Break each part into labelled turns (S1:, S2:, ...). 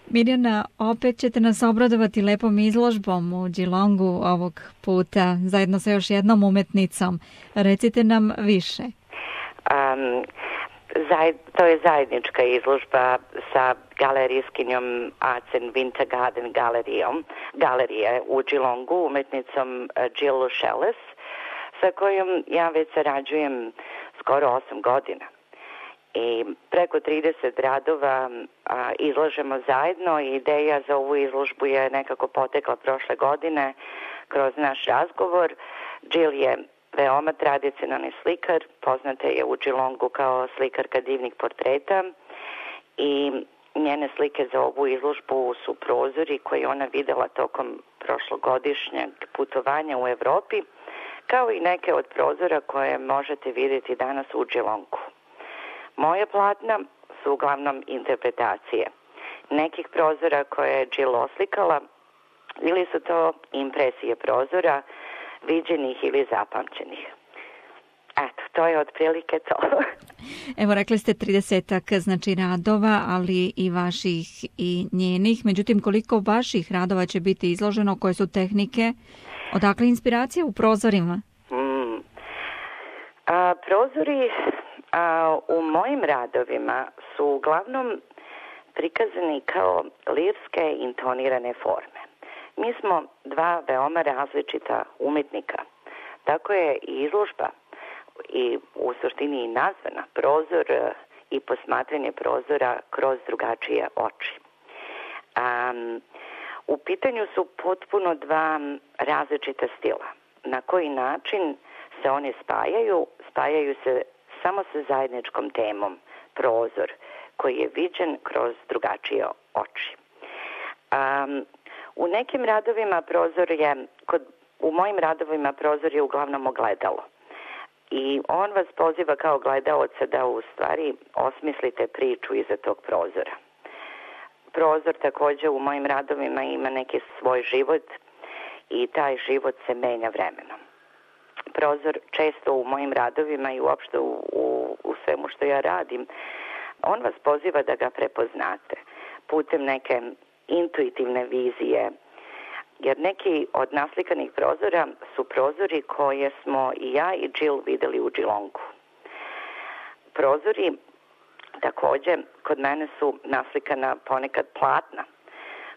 S1: Mirjana, opet ćete nas obradovati lepom izložbom u Geelongu ovog puta, zajedno sa još jednom umetnicom. Recite nam više.
S2: To je zajednička izložba sa galerijskinjom Arts and Winter Garden galerije u Geelongu, umetnicom Jill Shellis, sa kojom ja već sarađujem skoro 8 godina. I preko 30 radova izlažemo zajedno i ideja za ovu izložbu je nekako potekla prošle godine kroz naš razgovor. Jill je veoma tradicionalni slikar, poznata je u Geelongu kao slikarka divnih portreta i njene slike za ovu izložbu su prozori koje ona videla tokom prošlogodišnjeg putovanja u Evropi, kao i neke od prozora koje možete vidjeti danas u Geelongu. Moje platna su uglavnom interpretacije nekih prozora koje je Jill oslikala ili su to impresije prozora viđenih ili zapamćenih. Eto, to je otprilike to.
S1: Evo, rekli ste 30-ak znači radova, ali i vaših i njenih. Međutim, koliko vaših radova će biti izloženo, koje su tehnike, odakle inspiracija u prozorima?
S2: Prozori u mojim radovima su uglavnom prikazani kao lirske intonirane forme. Mi smo dva veoma različita umetnika. Tako je i izložba i u suštini i nazvana prozor i posmatranje prozora kroz drugačije oči. U pitanju su potpuno dva različita stila. Na koji način se oni spajaju? Spajaju se samo sa zajedničkom temom, prozor, koji je viđen kroz drugačije oči. U nekim radovima u mojim radovima prozor je uglavnom ogledalo. I on vas poziva kao gledaoca da u stvari osmislite priču iza tog prozora. Prozor također u mojim radovima ima neki svoj život i taj život se menja vremenom. Prozor često u mojim radovima i uopšte u svemu što ja radim, on vas poziva da ga prepoznate putem neke intuitivne vizije, jer neki od naslikanih prozora su prozori koje smo i ja i Jill videli u Geelongu. Prozori također kod mene su naslikana ponekad platna,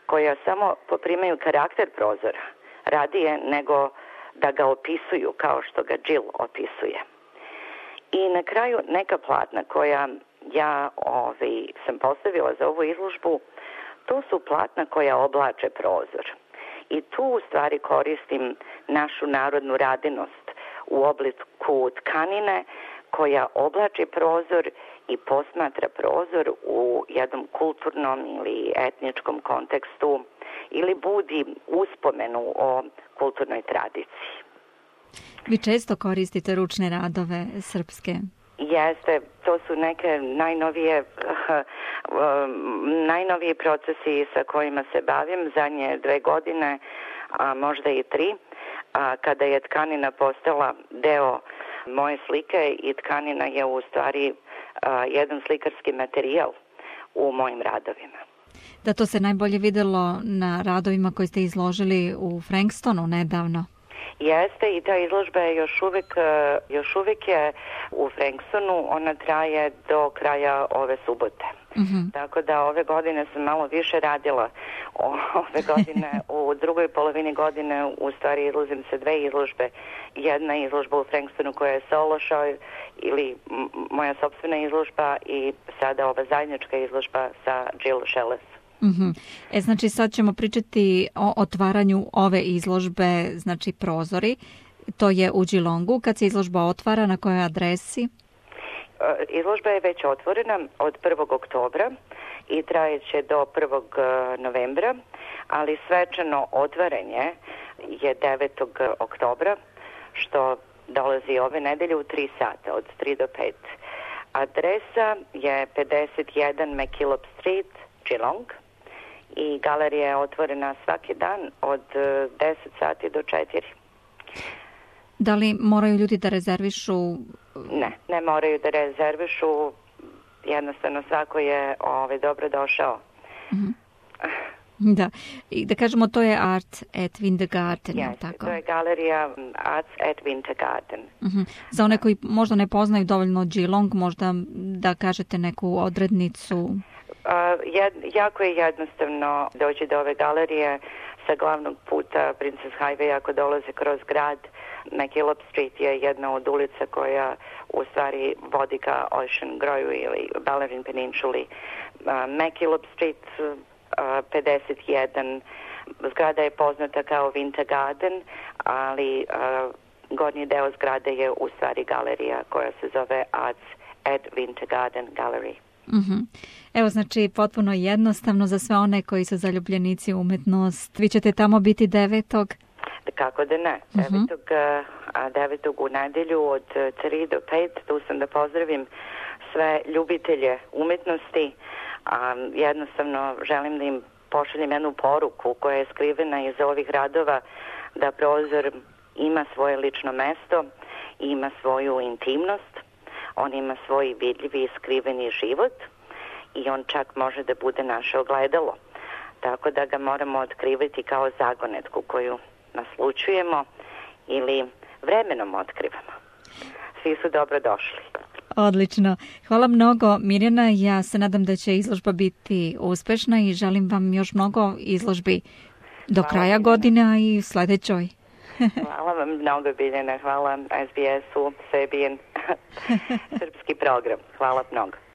S2: koja samo poprimaju karakter prozora, radije nego da ga opisuju kao što ga Jill opisuje. I na kraju neka platna koja ja sam postavila za ovu izložbu, to su platna koja oblače prozor. I tu u stvari koristim našu narodnu radinost u obliku tkanine koja oblači prozor i posmatra prozor u jednom kulturnom ili etničkom kontekstu ili budi uspomenu o kulturnoj tradiciji.
S1: Vi često koristite ručne radove srpske?
S2: Jeste, to su neke najnoviji procesi sa kojima se bavim zadnje 2 godine, a možda i 3, kada je tkanina postala deo moje slike i tkanina je u stvari jedan slikarski materijal u mojim radovima.
S1: Da, to se najbolje videlo na radovima koje ste izložili u Frankstonu nedavno.
S2: Jeste, i ta izložba je još uvijek je u Frankstonu, ona traje do kraja ove subote. Mm-hmm. Tako da ove godine sam malo više radila. Ove godine, u drugoj polovini godine u stvari izlazim se 2 izložbe. Jedna izložba u Frankstonu koja je solo show ili moja sopstvena izložba i sada ova zajednička izložba sa Jill Shellis.
S1: Mm-hmm. Znači sad ćemo pričati o otvaranju ove izložbe, znači prozori. To je u Geelongu. Kad se izložba otvara, na kojoj adresi?
S2: Izložba je već otvorena od 1. oktobra i trajeće do 1. novembra, ali svečano otvaranje je 9. oktobra, što dolazi ove nedelje u 3 sata, od 3 do 5. Adresa je 51 McKillop Street, Geelong, i galerija je otvorena svaki dan od 10 sati do 4.
S1: Da li moraju ljudi da rezervišu?
S2: Ne moraju da rezervišu. Jednostavno svako je dobro došao. Mm-hmm.
S1: Da, i da kažemo to je Art at Wintergarten,
S2: Yes,
S1: tako?
S2: to je galerija Arts at Wintergarten.
S1: Za one koji možda ne poznaju dovoljno Geelong, možda da kažete neku odrednicu.
S2: Jako je jednostavno doći do ove galerije sa glavnog puta Princess Highway ako dolaze kroz grad. McKillop Street je jedna od ulica koja u stvari vodi ka Ocean Groju ili Bellarine Peninsuli. McKillop Street 51, zgrada je poznata kao Winter Garden, ali gornji deo zgrade je u stvari galerija koja se zove Arts at Winter Garden Gallery.
S1: Evo, znači, potpuno jednostavno za sve one koji su zaljubljenici u umetnost. Vi ćete tamo biti 9.
S2: Kako da ne. 9. u nedelju od 3 do 5. Tu sam da pozdravim sve ljubitelje umetnosti. Jednostavno želim da im pošaljem jednu poruku koja je skrivena iza ovih radova, da prozor ima svoje lično mesto, ima svoju intimnost, on ima svoj vidljivi i skriveni život i on čak može da bude naše ogledalo. Tako da ga moramo otkrivati kao zagonetku koju naslučujemo ili vremenom otkrivamo. Svi su dobro došli.
S1: Odlično. Hvala mnogo, Mirjana. Ja se nadam da će izložba biti uspešna i želim vam još mnogo izložbi do kraja godine, a i sledećoj.
S2: Hvala vam mnogo, Biljana. Hvala SBS-u, Sebijen, srpski program. Hvala mnogo.